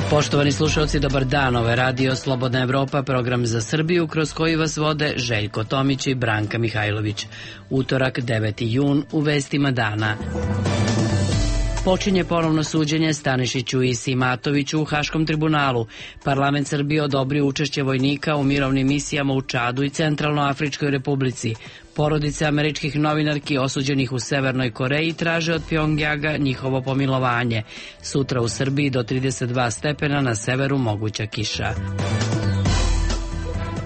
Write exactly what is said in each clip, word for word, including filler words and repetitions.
Poštovani slušalci, dobar dan. Ovo je Radio Slobodna Evropa, program za Srbiju, kroz koji vas vode Željko Tomić i Branka Mihajlović. Utorak, deveti jun, u vestima dana. Počinje ponovno suđenje Stanišiću i Simatoviću u Haškom tribunalu. Parlament Srbije odobrio učešće vojnika u mirovnim misijama u Čadu i Centralnoafričkoj republici. Porodice američkih novinarki osuđenih u Severnoj Koreji traže od Pjongjanga njihovo pomilovanje. Sutra u Srbiji do trideset dva stepena, na severu moguća kiša.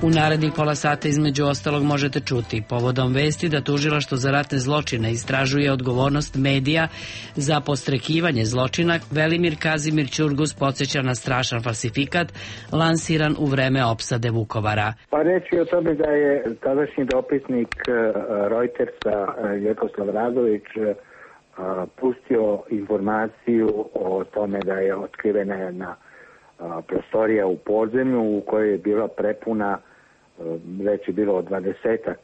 U narednih pola sata između ostalog možete čuti povodom vesti da tužilaštvo za ratne zločine istražuje odgovornost medija za podstrekivanje zločina. Velimir Kazimir Ćurgus podsjeća na strašan falsifikat lansiran u vreme opsade Vukovara. Pa reći o tome da je tadašnji dopisnik Reutersa Vjekoslav Radović pustio informaciju o tome da je otkrivena jedna prostorija u podzemlju u kojoj je bila prepuna, već je bilo dvadesetak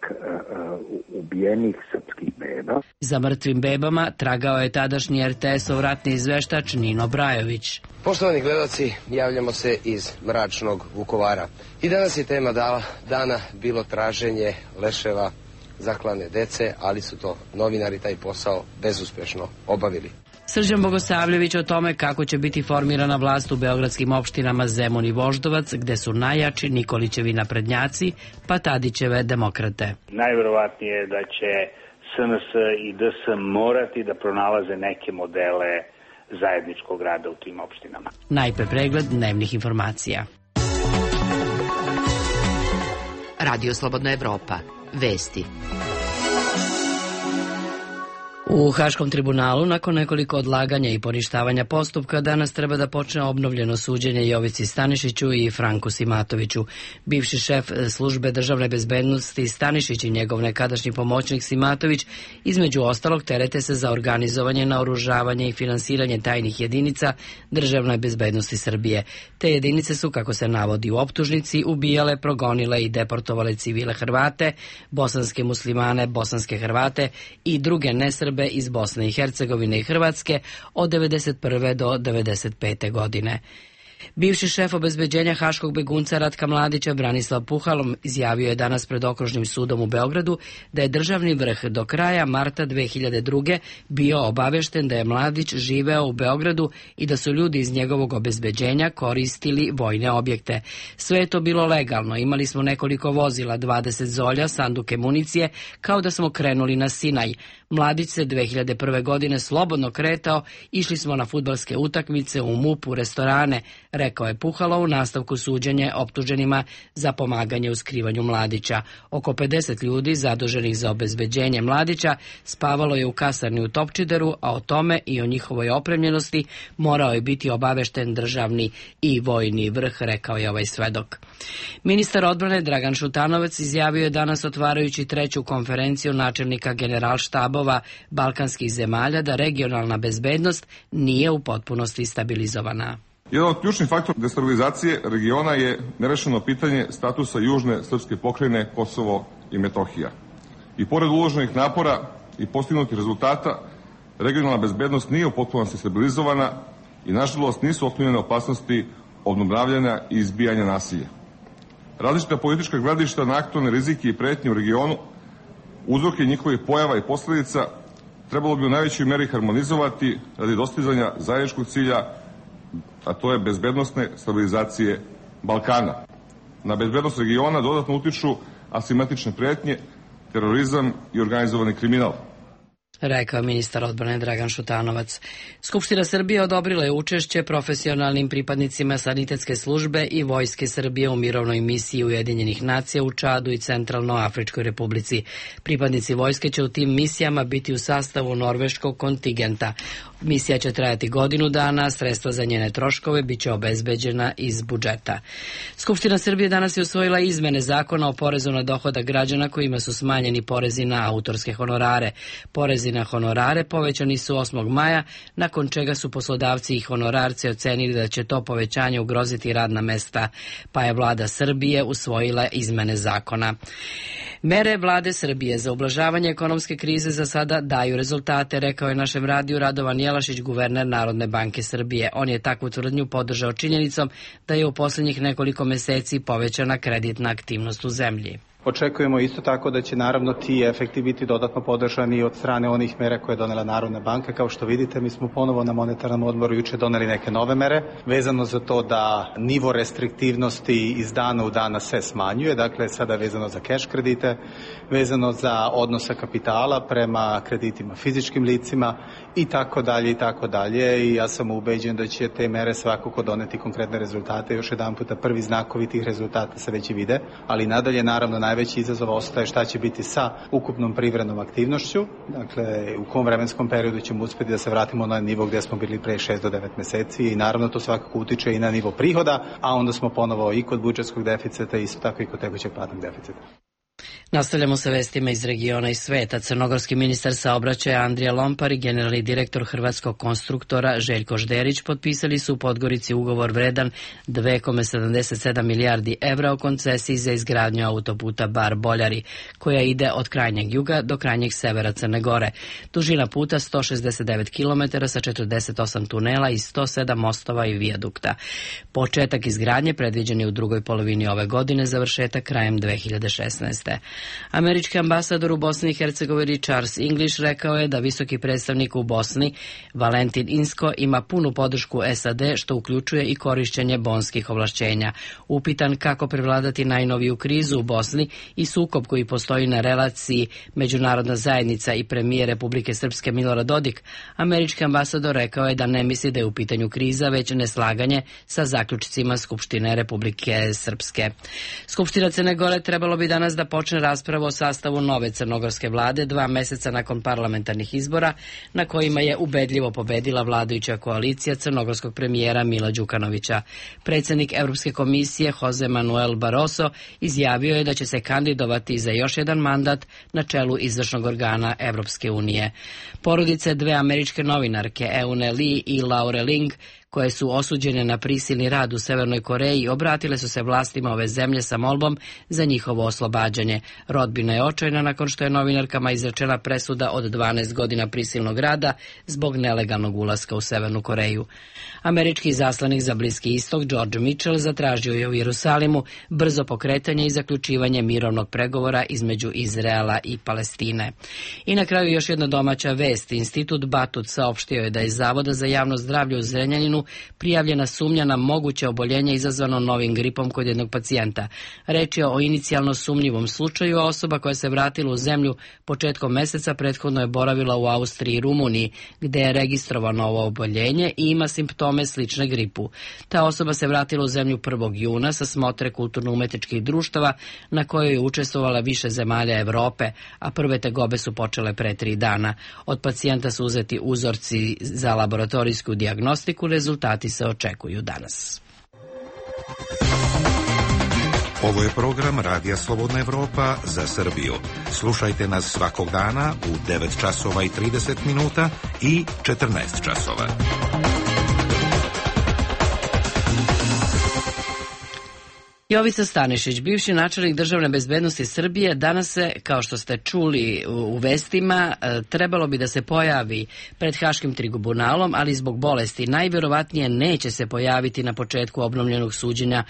ubijenih srpskih beba. Za mrtvim bebama tragao je tadašnji er te esov ratni izveštač Nino Brajović. Poštovani gledaoci, javljamo se iz mračnog Vukovara. I danas je tema dana bilo traženje leševa zaklane dece, ali su to novinari taj posao bezuspešno obavili. Srđan Bogosavljević o tome kako će biti formirana vlast u beogradskim opštinama Zemun i Voždovac, gde su najjači Nikolićevi naprednjaci, pa Tadićeve demokrate. Najverovatnije je da će es en es i de es morati da pronalaze neke modele zajedničkog rada u tim opštinama. Najpre pregled dnevnih informacija. Radio Slobodna Evropa. Vesti. U Haškom tribunalu, nakon nekoliko odlaganja i poništavanja postupka, danas treba da počne obnovljeno suđenje Jovici Stanišiću i Franku Simatoviću. Bivši šef službe državne bezbednosti Stanišić i njegov nekadašnji pomoćnik Simatović između ostalog terete se za organizovanje, naoružavanje i finansiranje tajnih jedinica državne bezbednosti Srbije. Te jedinice su, kako se navodi u optužnici, ubijale, progonile i deportovale civile Hrvate, bosanske muslimane, bosanske Hrvate i druge nesrbe iz Bosne i Hercegovine i Hrvatske od devedeset prve do devedeset pete godine. Bivši šef obezbeđenja haškog begunca Ratka Mladića Branislav Puhalom izjavio je danas pred Okružnim sudom u Beogradu da je državni vrh do kraja marta dve hiljade druge. bio obavešten da je Mladić živeo u Beogradu i da su ljudi iz njegovog obezbeđenja koristili vojne objekte. Sve je to bilo legalno, imali smo nekoliko vozila, dvadeset zolja, sanduke municije, kao da smo krenuli na Sinaj. Mladić se dve hiljade prve. godine slobodno kretao, išli smo na fudbalske utakmice, u MUP, u restorane, rekao je Puhalo u nastavku suđenja optuženima za pomaganje u skrivanju Mladića. Oko pedeset ljudi zaduženih za obezbeđenje Mladića spavalo je u kasarni u Topčideru, a o tome i o njihovoj opremljenosti morao je biti obavešten državni i vojni vrh, rekao je ovaj svedok. Ministar odbrane Dragan Šutanovac izjavio je danas, otvarajući treću konferenciju načelnika generalštabova balkanskih zemalja, da regionalna bezbednost nije u potpunosti stabilizovana. Jedan od ključnih faktora destabilizacije regiona je nerešeno pitanje statusa južne srpske pokrajine Kosovo i Metohija. I pored uloženih napora i postignutih rezultata, regionalna bezbednost nije u potpunosti stabilizovana i nažalost nisu otklonjene opasnosti obnavljanja i izbijanja nasilja. Različita politička gledišta na aktualne rizike i pretnje u regionu, uzroke njihovih pojava i posledica trebalo bi u najvećoj meri harmonizovati radi dostizanja zajedničkog cilja, a to je bezbednosne stabilizacije Balkana. Na bezbednost regiona dodatno utiču asimetrične pretnje, terorizam i organizovani kriminal, rekao ministar odbrane Dragan Šutanovac. Skupština Srbije odobrila je učešće profesionalnim pripadnicima sanitetske službe i vojske Srbije u mirovnoj misiji Ujedinjenih nacija u Čadu i Centralnoafričkoj republici. Pripadnici vojske će u tim misijama biti u sastavu norveškog kontingenta. Misija će trajati godinu dana, sredstva za njene troškove biće obezbeđena iz budžeta. Skupština Srbije danas je usvojila izmene zakona o porezu na dohodak građana kojima su smanjeni porezi na autorske honorare. Porezi na honorare povećani su osmog maja, nakon čega su poslodavci i honorarci ocenili da će to povećanje ugroziti radna mesta, pa je vlada Srbije usvojila izmene zakona. Mere vlade Srbije za ublažavanje ekonomske krize za sada daju rezultate, rekao je našem radiju Radovan Jelavić, Belašić, guverner Narodne banke Srbije. On je takvu tvrdnju podržao činjenicom da je u posljednjih nekoliko meseci povećana kreditna aktivnost u zemlji. Očekujemo isto tako da će naravno ti efekti biti dodatno podržani od strane onih mera koje je donela Narodna banka. Kao što vidite, mi smo ponovo na monetarnom odboru juče doneli neke nove mere, vezano za to da nivo restriktivnosti iz dana u dana se smanjuje, dakle sada vezano za keš kredite, vezano za odnosa kapitala prema kreditima fizičkim licima i tako dalje i tako dalje. I ja sam ubeđen da će te mere svakako doneti konkretne rezultate. Još jedan puta prvi znakovi tih rezultata se već i vide, ali nadalje naravno najveći izazov ostaje šta će biti sa ukupnom privrednom aktivnošću, dakle u kom vremenskom periodu ćemo uspjeti da se vratimo na nivo gdje smo bili pre šest do devet meseci i naravno to svakako utiče i na nivo prihoda, a onda smo ponovo i kod budžetskog deficita i isto tako i kod tekućeg platnog deficita. Nastavljamo sa vestima iz regiona i sveta. Crnogorski ministar saobraćaja Andrija Lompar i generalni direktor hrvatskog konstruktora Željko Žderić potpisali su u Podgorici ugovor vredan dve zarez sedamdeset sedam milijardi evra o koncesiji za izgradnju autoputa Bar-Boljari, koja ide od krajnjeg juga do krajnjeg severa Crne Gore. Dužina puta sto šezdeset devet kilometara sa četrdeset osam tunela i sto sedam mostova i vijadukta. Početak izgradnje predviđen je u drugoj polovini ove godine, završetak krajem dve hiljade šesnaeste. Američki ambasador u Bosni i Hercegovini Charles English rekao je da visoki predstavnik u Bosni Valentin Inzko ima punu podršku S A D, što uključuje i korišćenje bonskih ovlašćenja. Upitan kako prevladati najnoviju krizu u Bosni i sukob koji postoji na relaciji međunarodna zajednica i premijer Republike Srpske Milorad Dodik, američki ambasador rekao je da ne misli da je u pitanju kriza, već neslaganje sa zaključcima Skupštine Republike Srpske. Skupština Crne Gore trebalo bi danas da počne raspravu o sastavu nove crnogorske vlade dva meseca nakon parlamentarnih izbora, na kojima je ubedljivo pobedila vladajuća koalicija crnogorskog premijera Mila Đukanovića. Predsjednik Europske komisije Jose Manuel Barroso izjavio je da će se kandidovati za još jedan mandat na čelu izvršnog organa Europske unije. Porodice dve američke novinarke Eune Lee i Laure Ling, koje su osuđene na prisilni rad u Severnoj Koreji, obratile su se vlastima ove zemlje sa molbom za njihovo oslobađanje. Rodbina je očajna nakon što je novinarkama izrečena presuda od dvanaest godina prisilnog rada zbog nelegalnog ulaska u Severnu Koreju. Američki izaslanik za Bliski istok George Mitchell zatražio je u Jerusalimu brzo pokretanje i zaključivanje mirovnog pregovora između Izraela i Palestine. I na kraju još jedna domaća vest. Institut Batut saopštio je da je Zavoda za javno zdravlje u Zrenjaninu prijavljena sumnja na moguće oboljenje izazvano novim gripom kod jednog pacijenta. Reč je o inicijalno sumnjivom slučaju, a osoba koja se vratila u zemlju početkom meseca prethodno je boravila u Austriji i Rumuniji, gde je registrovano ovo oboljenje i ima simptome slične gripu. Ta osoba se vratila u zemlju prvog juna sa smotre kulturno-umetničkih društava na kojoj je učestvovala više zemalja Evrope, a prve tegobe su počele pre tri dana. Od pacijenta su uzeti uzorci za laboratorijsku dijagnostiku, rezultati se očekuju danas. Ovo je program Radija Slobodna Evropa za Srbiju. Slušajte nas svakog dana u devet časova i trideset minuta i četrnaest časova. Jovica Stanišić, bivši načelnik državne bezbednosti Srbije, danas se, kao što ste čuli u vestima, trebalo bi da se pojavi pred Haškim tribunalom, ali zbog bolesti najvjerovatnije neće se pojaviti na početku obnovljenog suđenja,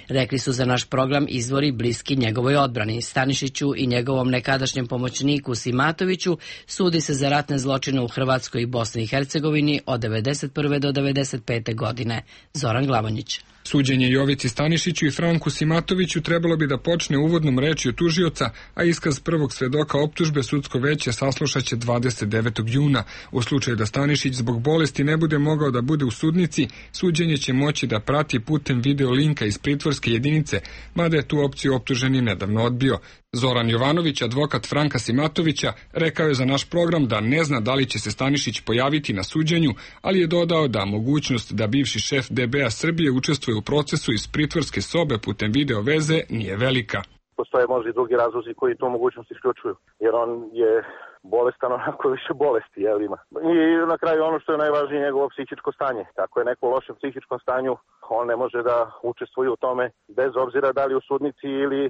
rekli su za naš program izvori bliski njegovoj odbrani. Stanišiću i njegovom nekadašnjem pomoćniku Simatoviću sudi se za ratne zločine u Hrvatskoj i Bosni i Hercegovini od devedeset prve do devedeset pete godine. Zoran Glavonjić. Suđenje Jovici Stanišiću i Franku Simatoviću trebalo bi da počne uvodnom rečju tužioca, a iskaz prvog svedoka optužbe sudsko veće saslušaće dvadeset devetog juna. U slučaju da Stanišić zbog bolesti ne bude mogao da bude u sudnici, suđenje će moći da prati putem video linka iz pritvorske jedinice, mada je tu opciju optuženi nedavno odbio. Zoran Jovanović, advokat Franka Simatovića, rekao je za naš program da ne zna da li će se Stanišić pojaviti na suđenju, ali je dodao da mogućnost da bivši šef D B-a Srbije učestvuje u procesu iz pritvorske sobe putem video veze nije velika. Postoje možda i drugi razlozi koji tu mogućnost isključuju, jer on je bolestan onako više bolesti, jel ima. I na kraju ono što je najvažnije, njegovo psihičko stanje. Tako je neko u lošem psihičkom stanju, on ne može da učestvuje u tome bez obzira da li u sudnici ili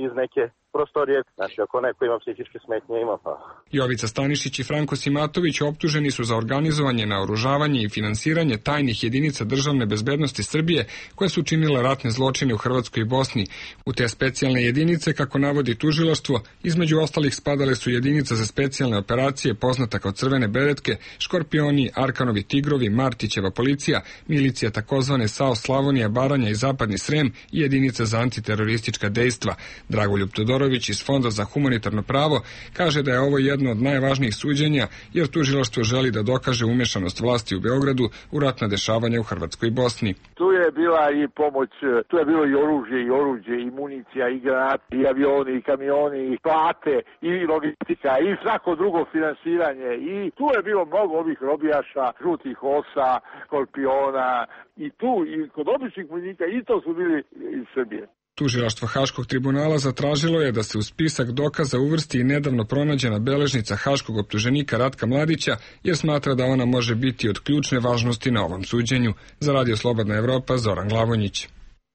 iz neke prostorije. Znači, ako neko ima psihičke smetnje, ima pa. Jovica Stanišić i Franko Simatović optuženi su za organizovanje, naoružavanje i finansiranje tajnih jedinica državne bezbednosti Srbije koje su činile ratne zločine u Hrvatskoj i Bosni. U te specijalne jedinice, kako navodi tužilaštvo, između ostalih spadale su jedinica za specijalne operacije poznata kao Crvene beretke, Škorpioni, Arkanovi tigrovi, Martićeva policija, milicija takozvane SAO Slavonija, Baranja i Zapadni Srem i jedinica za antiteroristička dejstva. Dragoljub Todorović iz Fonda za humanitarno pravo kaže da je ovo jedno od najvažnijih suđenja jer tužilaštvo želi da dokaže umešanost vlasti u Beogradu u ratna dešavanja u Hrvatskoj i Bosni. Tu je bila i pomoć, tu je bilo i oružje, i oruđe, i municija, i granate, i avioni, i kamioni, i plate, i logistika, i svako drugo finansiranje. I tu je bilo mnogo ovih robijaša, žutih osa, Škorpiona, i tu, i kod običnih vojnika, i to su bili iz Srbije. Tužilaštvo Haškog tribunala zatražilo je da se u spisak dokaza uvrsti i nedavno pronađena beležnica haškog optuženika Ratka Mladića, jer smatra da ona može biti od ključne važnosti na ovom suđenju. Za Radio Slobodna Evropa, Zoran Glavonjić.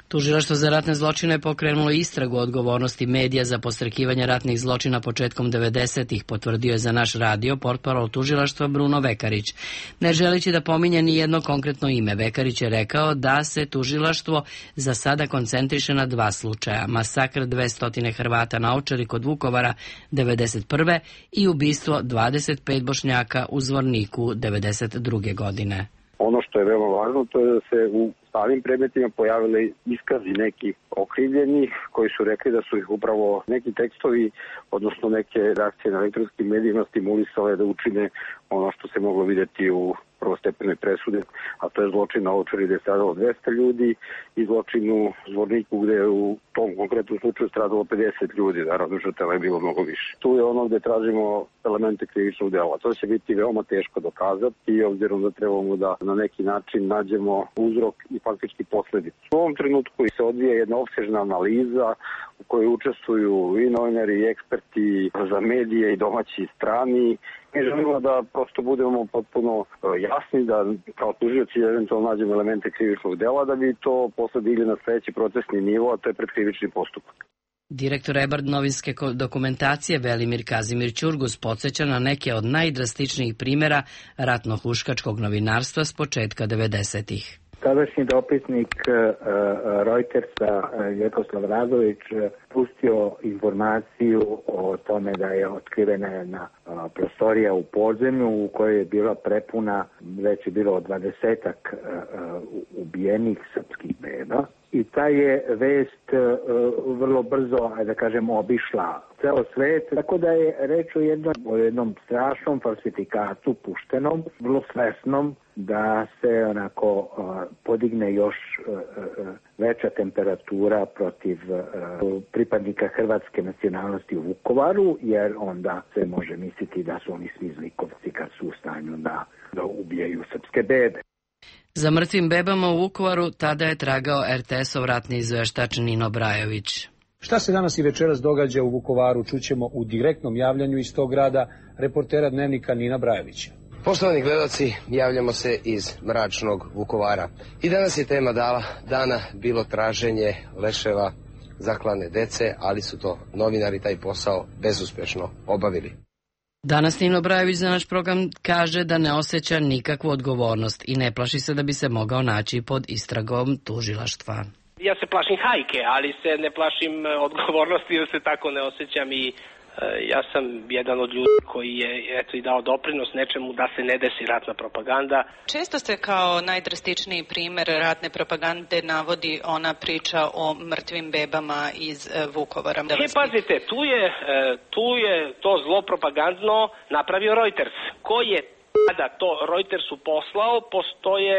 Tužilaštvo za ratne zločine je pokrenulo istragu o odgovornosti medija za podstrekivanje ratnih zločina početkom devedesetih, potvrdio je za naš radio portparol tužilaštva Bruno Vekarić. Ne želeći da pominje ni jedno konkretno ime, Vekarić je rekao da se tužilaštvo za sada koncentriše na dva slučaja: masakr dvesta Hrvata na Ovčari kod Vukovara devedeset prve i ubistvo dvadeset pet Bošnjaka u Zvorniku devedeset druge godine. Ono što je veoma važno, to je da se u starim predmetima pojavili iskazi nekih okrivljenih koji su rekli da su ih upravo neki tekstovi, odnosno neke reakcije na elektronskim medijima stimulisale da učine ono što se moglo vidjeti u prvostepenoj presude, a to je zločin na Ovčari gde je stradalo dvesta ljudi i zločin u Zvorniku gde je u tom konkretnom slučaju stradalo pedeset ljudi, naravno žrtava je bilo mnogo više. Tu je ono gde tražimo elemente krivičnog dela. To će biti veoma teško dokazati i obzirom da trebamo da na neki način nađemo uzrok i faktički posledicu. U ovom trenutku se odvija jedna opsežna analiza u kojoj učestvuju i novinari i eksperti za medije i domaći i strani. Mi želimo da prosto budemo potpuno jasni, da kao tužioci eventualno nađemo elemente krivičnog dela, da bi to posle digli na sledeći procesni nivo, a to je predkrivični postupak. Direktor Ebard novinske dokumentacije Velimir Kazimir Ćurgus podsjeća na neke od najdrastičnijih primjera ratno-huškačkog novinarstva s početka devedesetih. Tadašnji dopisnik Reutersa Vjekoslav Radović pustio informaciju o tome da je otkrivena jedna prostorija u podzemlju u kojoj je bila prepuna, već je bilo dvadesetak ubijenih srpskih beba. I ta je vest vrlo brzo, da kažem, obišla ceo svet, tako da je reč o jednom, o jednom strašnom falsifikatu puštenom, vrlo svesnom, da se onako podigne još veća temperatura protiv pripadnika hrvatske nacionalnosti u Vukovaru, jer onda se može misliti da su oni svi zlikovci kad su u stanju da, da ubijaju srpske bebe. Za mrtvim bebama u Vukovaru tada je tragao er te esov ratni izveštač Nino Brajović. Šta se danas i večeras događa u Vukovaru, čućemo u direktnom javljanju iz tog grada reportera Dnevnika Nina Brajovića. Poštovani gledaoci, javljamo se iz mračnog Vukovara. I danas je tema dana bilo traženje leševa zaklane dece, ali su to novinari taj posao bezuspešno obavili. Danas Nino Brajović za naš program kaže da ne osjeća nikakvu odgovornost i ne plaši se da bi se mogao naći pod istragom tužilaštva. Ja se plašim hajke, ali se ne plašim odgovornosti jer se tako ne osjećam i ja sam jedan od ljudi koji je eto i dao doprinos nečemu da se ne desi ratna propaganda. Često se kao najdrastičniji primer ratne propagande navodi ona priča o mrtvim bebama iz Vukovara. E, pazite, tu je, tu je to zlo propagandno napravio Reuters. Ko je tada to Reutersu poslao, postoje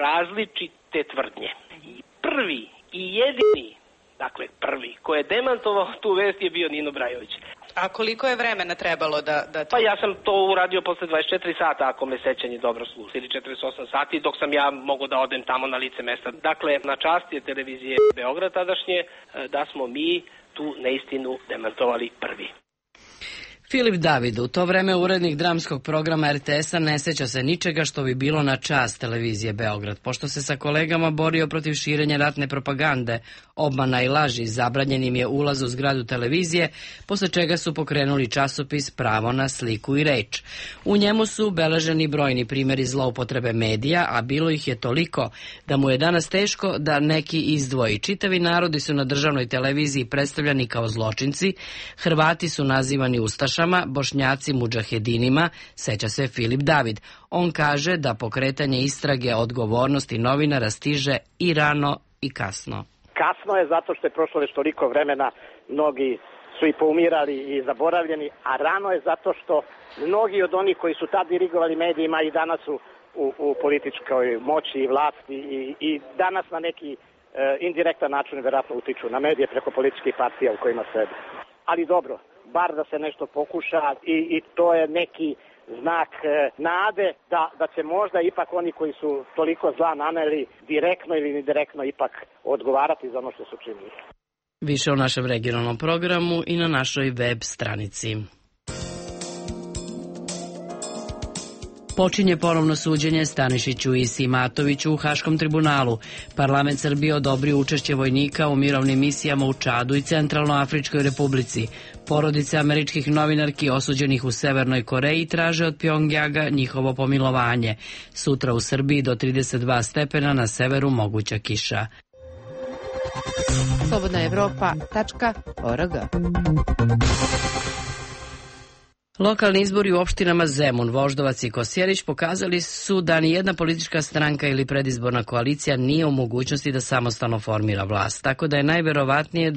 različite tvrdnje. Prvi i jedini, dakle prvi, ko je demantovao tu vest je bio Nino Brajović. A koliko je vremena trebalo da... da... Pa ja sam to uradio posle dvadeset četiri sata, ako me sećanje dobro služi, ili četrdeset osam sati, dok sam ja mogao da odem tamo na lice mesta. Dakle, na čast je televizije Beograd tadašnje, da smo mi tu neistinu demantovali prvi. Filip David, u to vreme urednik dramskog programa er te es-a, ne seća se ničega što bi bilo na čast televizije Beograd. Pošto se sa kolegama borio protiv širenja ratne propagande, obmana i laži, zabranjenim je ulaz u zgradu televizije, posle čega su pokrenuli časopis Pravo na sliku i reč. U njemu su beleženi brojni primjeri zloupotrebe medija, a bilo ih je toliko da mu je danas teško da neki izdvoji. Čitavi narodi su na državnoj televiziji predstavljani kao zločinci, Hrvati su nazivani ustašama, Bošnjaci mudžahedinima, seća se Filip David. On kaže da pokretanje istrage odgovornosti novinara stiže i rano i kasno. Kasno je zato što je prošlo već toliko vremena, mnogi su i poumirali i zaboravljeni, a rano je zato što mnogi od onih koji su tad dirigovali medijima i danas su u, u političkoj moći i vlasti i, i danas na neki e, indirektan način vjerojatno utiču na medije preko političkih partija u kojima sede. Ali dobro, bar da se nešto pokuša i, i to je neki znak e, nade da, da će možda ipak oni koji su toliko zla naneli direktno ili indirektno ipak odgovarati za ono što su činili. Više o našem regionalnom programu i na našoj web stranici. Počinje ponovno suđenje Stanišiću i Simatoviću u Haškom tribunalu. Parlament Srbije odobrio učešće vojnika u mirovnim misijama u Čadu i Centralnoafričkoj republici. Porodice američkih novinarki osuđenih u Severnoj Koreji traže od Pjongjanga njihovo pomilovanje. Sutra u Srbiji do trideset dva stepena, na severu moguća kiša. slobodna evropa tačka org. Lokalni izbori u opštinama Zemun, Voždovac i Kosjerić pokazali su da ni jedna politička stranka ili predizborna koalicija nije u mogućnosti da samostalno formira vlast, tako da je najverovatnije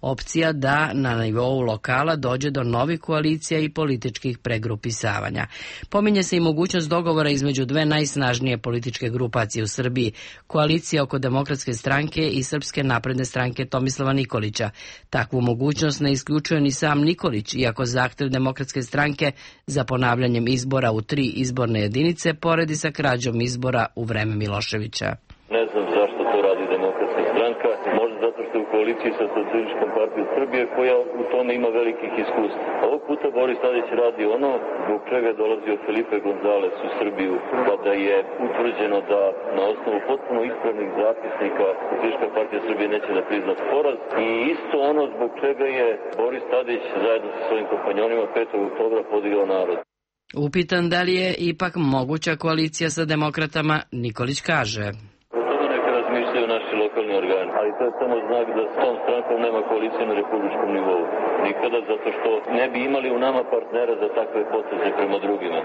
opcija da na nivou lokala dođe do novih koalicija i političkih pregrupisavanja. Pominje se i mogućnost dogovora između dve najsnažnije političke grupacije u Srbiji, koalicija oko Demokratske stranke i Srpske napredne stranke Tomislava Nikolića. Takvu mogućnost ne isključuje ni sam Nikolić, iako zahtev Demokratske stranke za ponavljanjem izbora u tri izborne jedinice poredi sa krađom izbora u vreme Miloševića. Ne znam zašto to radi Demokratska stranka, možda zato što je u koaliciji sa Socijalističkom partijom Srbije koja u tome ima velikih iskustva. Ovog puta Boris Tadić radi ono zbog čega je dolazio Felipe González u Srbiju, kada je utvrđeno da na osnovu potpuno ispravnih zapisnika Socijalistička partija Srbije neće da prizna poraz, i isto ono zbog čega je Boris Tadić zajedno sa svojim kompanjonima petog oktobra podigao narod. Upitan da li je ipak moguća koalicija sa demokratama, Nikolić kaže: razmišljaju naši lokalni organi, ali to je samo znak da s tom strankom nema koalicije na republičkom nivou. Nikada, zato što ne bi imali u nama partnera za takve poteze prema drugima.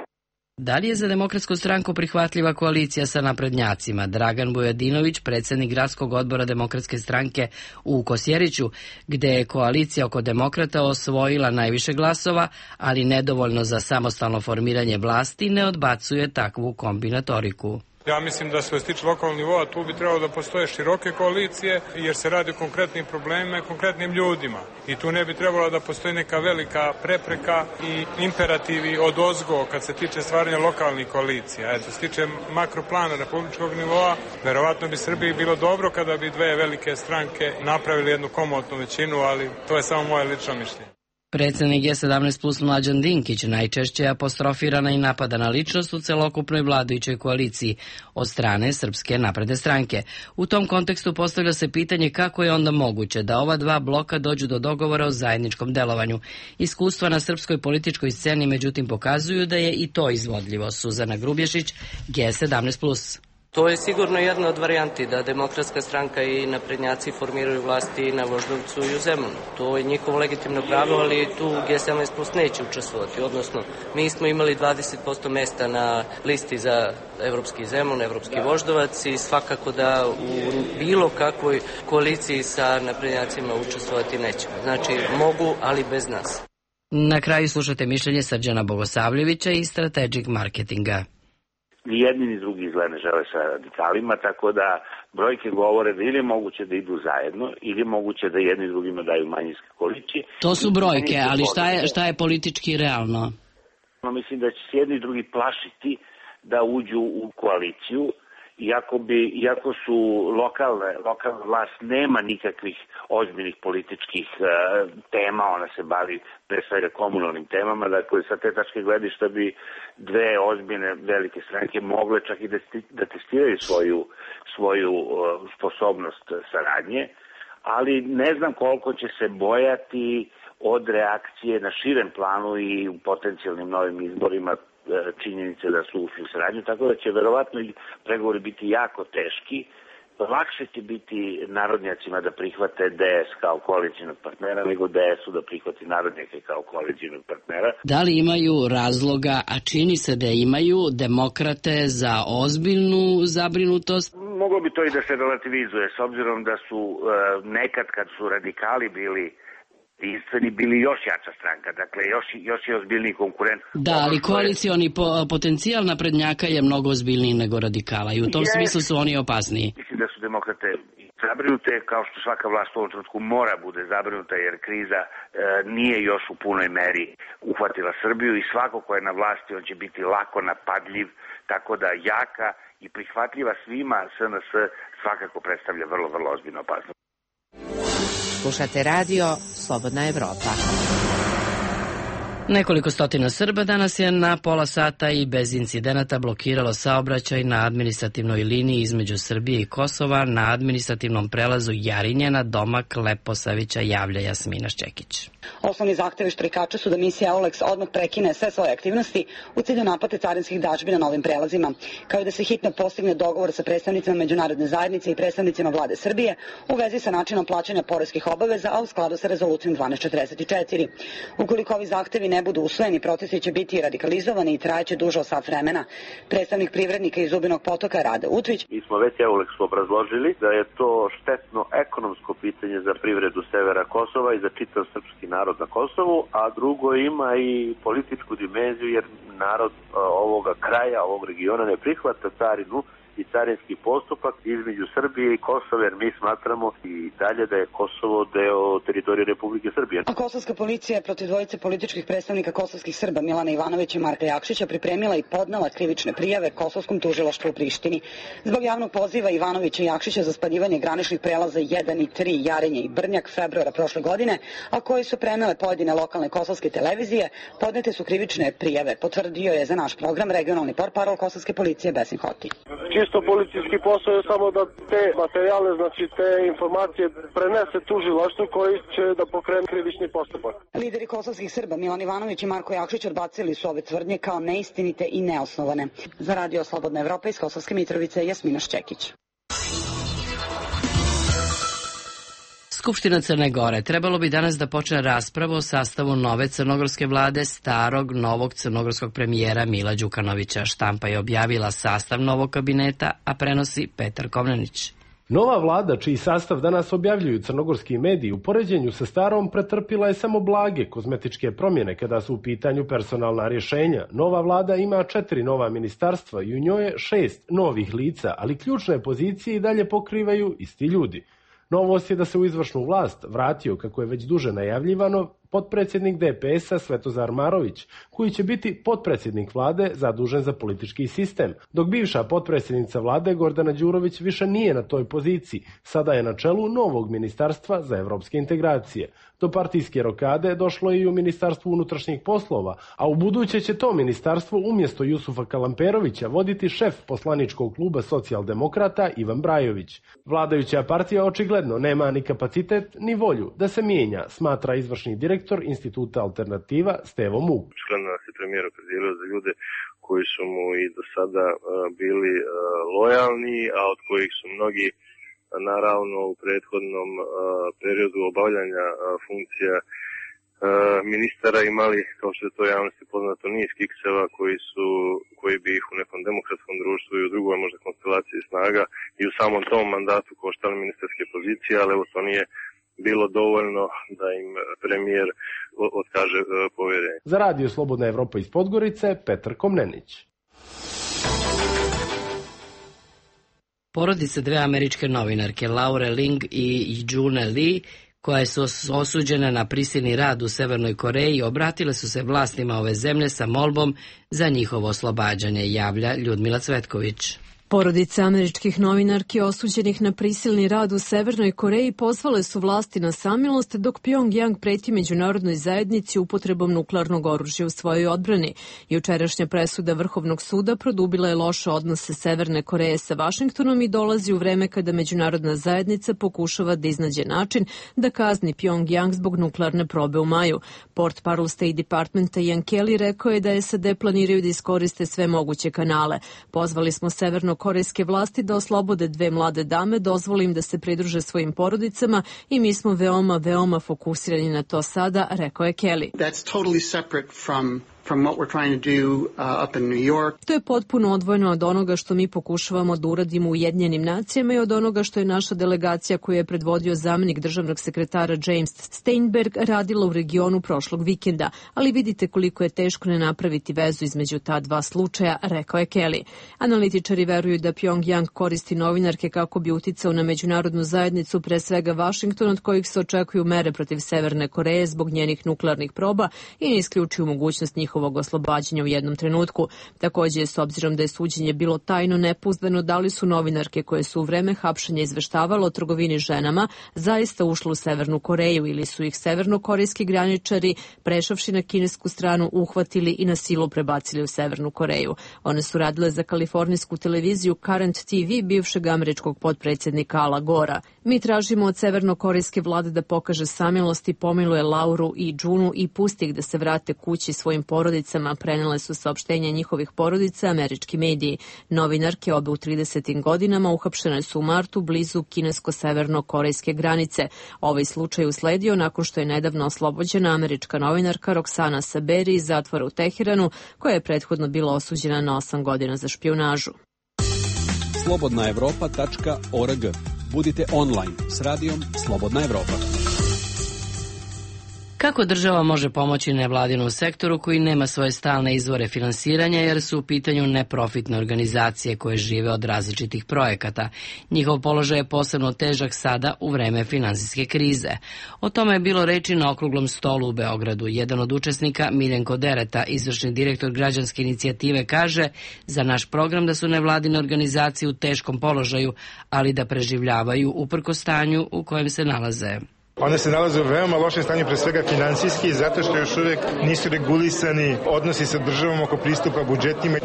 Da li je za Demokratsku stranku prihvatljiva koalicija sa naprednjacima? Dragan Bujadinović, predsjednik gradskog odbora Demokratske stranke u Kosjeriću, gde je koalicija oko demokrata osvojila najviše glasova, ali nedovoljno za samostalno formiranje vlasti, ne odbacuje takvu kombinatoriku. Ja mislim da što se tiče lokalnog nivoa tu bi trebalo da postoje široke koalicije, jer se radi o konkretnim problemima i konkretnim ljudima. I tu ne bi trebalo da postoji neka velika prepreka i imperativi od ozgo kad se tiče stvaranja lokalnih koalicija. Eto, se tiče makroplana republičkog nivoa, verovatno bi Srbiji bilo dobro kada bi dve velike stranke napravili jednu komotnu većinu, ali to je samo moje lično mišljenje. Predsjednik G sedamnaest plus Mlađan Dinkić najčešće je apostrofirana i napadana ličnost u celokupnoj vladajućoj koaliciji od strane Srpske napredne stranke. U tom kontekstu postavlja se pitanje kako je onda moguće da ova dva bloka dođu do dogovora o zajedničkom delovanju. Iskustva na srpskoj političkoj sceni međutim pokazuju da je i to izvodljivo. Suzana Grubješić, G sedamnaest plus. To je sigurno jedna od varijanti da Demokratska stranka i naprednjaci formiraju vlasti na Voždovcu i u Zemunu. To je njihovo legitimno pravo, ali tu G sedamnaest plus neće učestvovati. Odnosno, mi smo imali dvadeset posto mesta na listi za Evropski Zemun, Evropski Voždovac i svakako da u bilo kakvoj koaliciji sa naprednjacima učestvovati nećemo. Znači, mogu, ali bez nas. Na kraju slušate mišljenje Srđana Bogosavljevića iz Strategic Marketinga. Ni jedni ni drugi izgleda ne žele sa radikalima, tako da brojke govore da ili je moguće da idu zajedno, ili je moguće da jedni drugima daju manjinske koalicije. To su brojke, ali šta je, šta je politički realno? Mislim da će se jedni i drugi plašiti da uđu u koaliciju, iako, bi, iako su lokalne, lokalna vlast nema nikakvih ozbiljnih političkih uh, tema, ona se bavi pre svega komunalnim temama, dakle sa te tačke gledišta bi dve ozbiljne velike stranke mogle čak i da, da testiraju svoju, svoju uh, sposobnost saradnje, ali ne znam koliko će se bojati od reakcije na širem planu i u potencijalnim novim izborima činjenice da su ušli u saradnju, tako da će verovatno pregovori biti jako teški. Lakše će biti narodnjacima da prihvate D S kao koalicijnog partnera nego D S-u da prihvati narodnjake kao koalicijnog partnera. Da li imaju razloga, a čini se da imaju, demokrate za ozbiljnu zabrinutost? Moglo bi to i da se relativizuje, s obzirom da su nekad kad su radikali bili jedinstveni bili još jača stranka, dakle još, još je ozbiljniji konkurent. Da, ali koalicioni po, potencijal naprednjaka je mnogo ozbiljniji nego radikala i u tom je, smislu su oni opasniji. Mislim da su demokrate zabrinute, kao što svaka vlast u ovom trenutku mora bude zabrinuta jer kriza e, nije još u punoj meri uhvatila Srbiju i svako ko je na vlasti on će biti lako napadljiv, tako da jaka i prihvatljiva svima S N S svakako predstavlja vrlo, vrlo ozbiljno opasnost. Slušate radio Slobodna Evropa. Nekoliko stotina Srba danas je na pola sata i bez incidenata blokiralo saobraćaj na administrativnoj liniji između Srbije i Kosova na administrativnom prelazu Jarinjena, Domak, Leposavića, javlja Jasmina Šćekić. Osnovni zahtevi štrajkača su da misija Eulex odmah prekine sve svoje aktivnosti u cilju naplate carinskih dažbi na novim prelazima, kao i da se hitno postigne dogovor sa predstavnicima međunarodne zajednice i predstavnicima vlade Srbije u vezi sa načinom plaćanja poreskih obaveza, a u skladu sa rezolucijom dvanaest četrdeset četiri. Ukoliko ovi zahtevi ne budu usvojeni, protesti će biti radikalizovani i trajeće duže od sat vremena. Predstavnik privrednika iz Zubinog Potoka Rade Utvić. Mi smo već Eulexu obrazložili da je to štetno ekonomsko pitanje za privredu severa Kosova i za čitav srpski narod na Kosovu, a drugo ima i političku dimenziju jer narod ovoga kraja, ovog regiona ne prihvata carinu i carinski postupak između Srbije i Kosova, jer mi smatramo i dalje da je Kosovo deo teritorije Republike Srbije. A kosovska policija je protiv dvojice političkih predstavnika kosovskih Srba Milana Ivanovića i Marka Jakšića pripremila i podnela krivične prijave kosovskom tužilaštvu u Prištini. Zbog javnog poziva Ivanovića i Jakšića za spaljivanje graničnih prelaza jedan i tri, Jarinje i Brnjak, februara prošle godine, a koji su prenele pojedine lokalne kosovske televizije, podnete su krivične prijave, potvrdio je za naš program regionalni portparol kosovske policije Besim Hoti. Čisto policijski posao je samo da te materijale, znači te informacije prenese tužilaštvu koji će da pokrene krivični postupak. Lideri kosovskih Srba Milan Ivanović i Marko Jakšić odbacili su ove tvrdnje kao neistinite i neosnovane. Za radio Slobodna Evropa iz Kosovske Mitrovice Jasmina Šćekić. Skupština Crne Gore trebalo bi danas da počne raspravu o sastavu nove crnogorske vlade starog novog crnogorskog premijera Mila Đukanovića. Štampa je objavila sastav novog kabineta, a prenosi Petar Komnenić. Nova vlada, čiji sastav danas objavljuju crnogorski mediji, u poređenju sa starom pretrpila je samo blage kozmetičke promjene kada su u pitanju personalna rješenja. Nova vlada ima četiri nova ministarstva i u njoj je šest novih lica, ali ključne pozicije i dalje pokrivaju isti ljudi. Novost je da se u izvršnu vlast vratio, kako je već duže najavljivano, potpredsjednik D P S-a Svetozar Marović, koji će biti potpredsjednik vlade zadužen za politički sistem, dok bivša potpredsjednica vlade Gordana Đurović više nije na toj poziciji, sada je na čelu novog ministarstva za evropske integracije. Do partijske rokade došlo je i u Ministarstvu unutrašnjih poslova, a u buduće će to ministarstvo umjesto Jusufa Kalamperovića voditi šef poslaničkog kluba socijaldemokrata Ivan Brajović. Vladajuća partija očigledno nema ni kapacitet ni volju da se mijenja, smatra izvršni direktor Instituta Alternativa Stevo Muk. Očigledno nas je premijer opredelio za ljude koji su mu i do sada bili lojalni, a od kojih su mnogi naravno u prethodnom periodu obavljanja funkcija ministara imali, kao što je to javnosti poznato, niz kikseva koji su, koji bi ih u nekom demokratskom društvu i u drugoj možda konstelaciji snaga i u samom tom mandatu koštali ministarske pozicije, ali evo to nije bilo dovoljno da im premijer otkaže povjerenje. Za radio Slobodna Evropa iz Podgorice, Petar Komnenić. Porodice dve američke novinarke, Laure Ling i June Lee, koje su osuđene na prisilni rad u Severnoj Koreji, obratile su se vlastima ove zemlje sa molbom za njihovo oslobađanje, javlja Ljudmila Cvetković. Porodice američkih novinarki osuđenih na prisilni rad u Severnoj Koreji pozvale su vlasti na samilost, dok Pjongjang preti međunarodnoj zajednici upotrebom nuklearnog oružja u svojoj odbrani. Jučerašnja presuda Vrhovnog suda produbila je loše odnose Severne Koreje sa Vašingtonom i dolazi u vreme kada međunarodna zajednica pokušava da iznađe način da kazni Pjongjang zbog nuklearne probe u maju. Portparol State Departmenta Ian Kelly rekao je da S A D planiraju da iskoriste sve moguće kanale. Pozvali smo Severno korejske vlasti da oslobode dve mlade dame, dozvoli im da se pridruže svojim porodicama i mi smo veoma, veoma fokusirani na to sada, rekao je Kelly. That's totally separate from from what we're trying to do uh, up in New York. To je potpuno odvojeno od onoga što mi pokušavamo da uradimo u Ujedinjenim nacijama i od onoga što je naša delegacija koju je predvodio zamenik državnog sekretara James Steinberg radila u regionu prošlog vikenda, ali vidite koliko je teško ne napraviti vezu između ta dva slučaja, rekao je Kelly. Analitičari veruju da Pjongjang koristi novinarke kako bi uticao na međunarodnu zajednicu, pre svega Vašington, od kojih se očekuju mere protiv Severne Koreje zbog njenih nuklearnih proba i ne isključuju mogućnost njihovog oslobađanja u jednom trenutku. Takođe, s obzirom da je suđenje bilo tajno, nepouzdano da li su novinarke koje su u vreme hapšenja izveštavalo o trgovini ženama zaista ušle u Severnu Koreju ili su ih severnokorejski graničari, prešavši na kinesku stranu, uhvatili i na silu prebacili u Severnu Koreju. One su radile za kalifornijsku televiziju Current T V bivšeg američkog potpredsjednika Ala Gora. Mi tražimo od severnokorejske vlade da pokaže samilost i pomiluje Lauru i Džunu i pusti ih da se vrate kući svojim porodicama, prenele su saopštenja njihovih porodica američki mediji. Novinarke, obe u tridesetim godinama, uhapšene su u martu blizu kinesko-severno-korejske granice. Ovaj slučaj usledio nakon što je nedavno oslobođena američka novinarka Roxana Saberi iz zatvora u Teheranu, koja je prethodno bila osuđena na osam godina za špijunažu. slobodna evropa tačka org. Budite online s radijom Slobodna Evropa. Kako država može pomoći nevladinom sektoru koji nema svoje stalne izvore finansiranja jer su u pitanju neprofitne organizacije koje žive od različitih projekata? Njihov položaj je posebno težak sada u vreme finansijske krize. O tome je bilo reči na okruglom stolu u Beogradu. Jedan od učesnika, Miljenko Dereta, izvršni direktor građanske inicijative, kaže za naš program da su nevladine organizacije u teškom položaju, ali da preživljavaju uprkos stanju u kojem se nalaze. One se nalaze u veoma lošem stanju, pre svega finansijski, zato što još uvek nisu regulisani odnosi sa državom oko pristupa budžetima.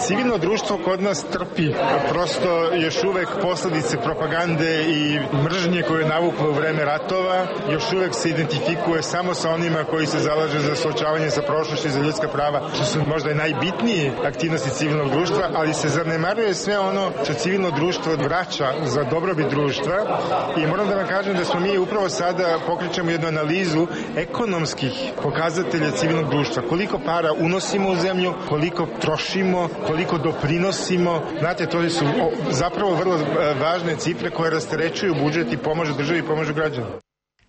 Civilno društvo kod nas trpi, prosto još uvek posledice propagande i mržnje koje je navuklo u vreme ratova, još uvek se identifikuje samo sa onima koji se zalaže za suočavanje sa prošlošću i za ljudska prava, što su možda i najbitnije aktivnosti civilnog društva, ali se zanemaruje sve ono što civilno društvo vraća za dobrobit društva i moram da vam kažem da smo mi upravo sada pokrećemo jednu analizu ekonomskih pokazatelja civilnog društva. Koliko para unosimo u zemlju, koliko trošimo, koliko doprinosimo. Znate, to su zapravo vrlo važne cifre koje rasterećuju budžet i pomažu državi i pomažu građanima.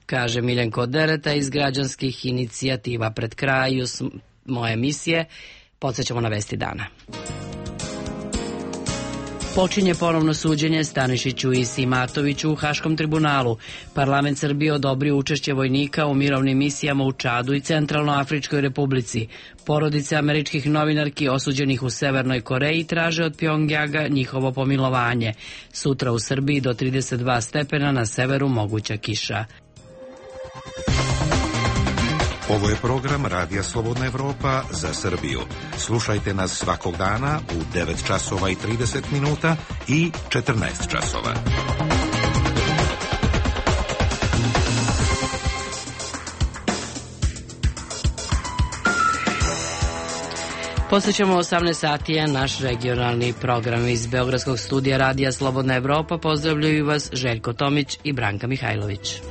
Kaže Miljenko Dereta iz građanskih inicijativa. Pred kraju moje emisije podsjećamo na vesti dana. Počinje ponovno suđenje Stanišiću i Simatoviću u Haškom tribunalu. Parlament Srbije odobrio učešće vojnika u mirovnim misijama u Čadu i Centralnoafričkoj republici. Porodice američkih novinarki osuđenih u Severnoj Koreji traže od Pjongjaga njihovo pomilovanje. Sutra u Srbiji do trideset dva stepena, na severu moguća kiša. Ovo je program Radija Slobodna Evropa za Srbiju. Slušajte nas svakog dana u devet časova i trideset minuta i četrnaest časova. Posjećamo osamnaest sati je naš regionalni program. Iz Beogradskog studija Radija Slobodna Evropa pozdravljaju vas Željko Tomić i Branka Mihajlović.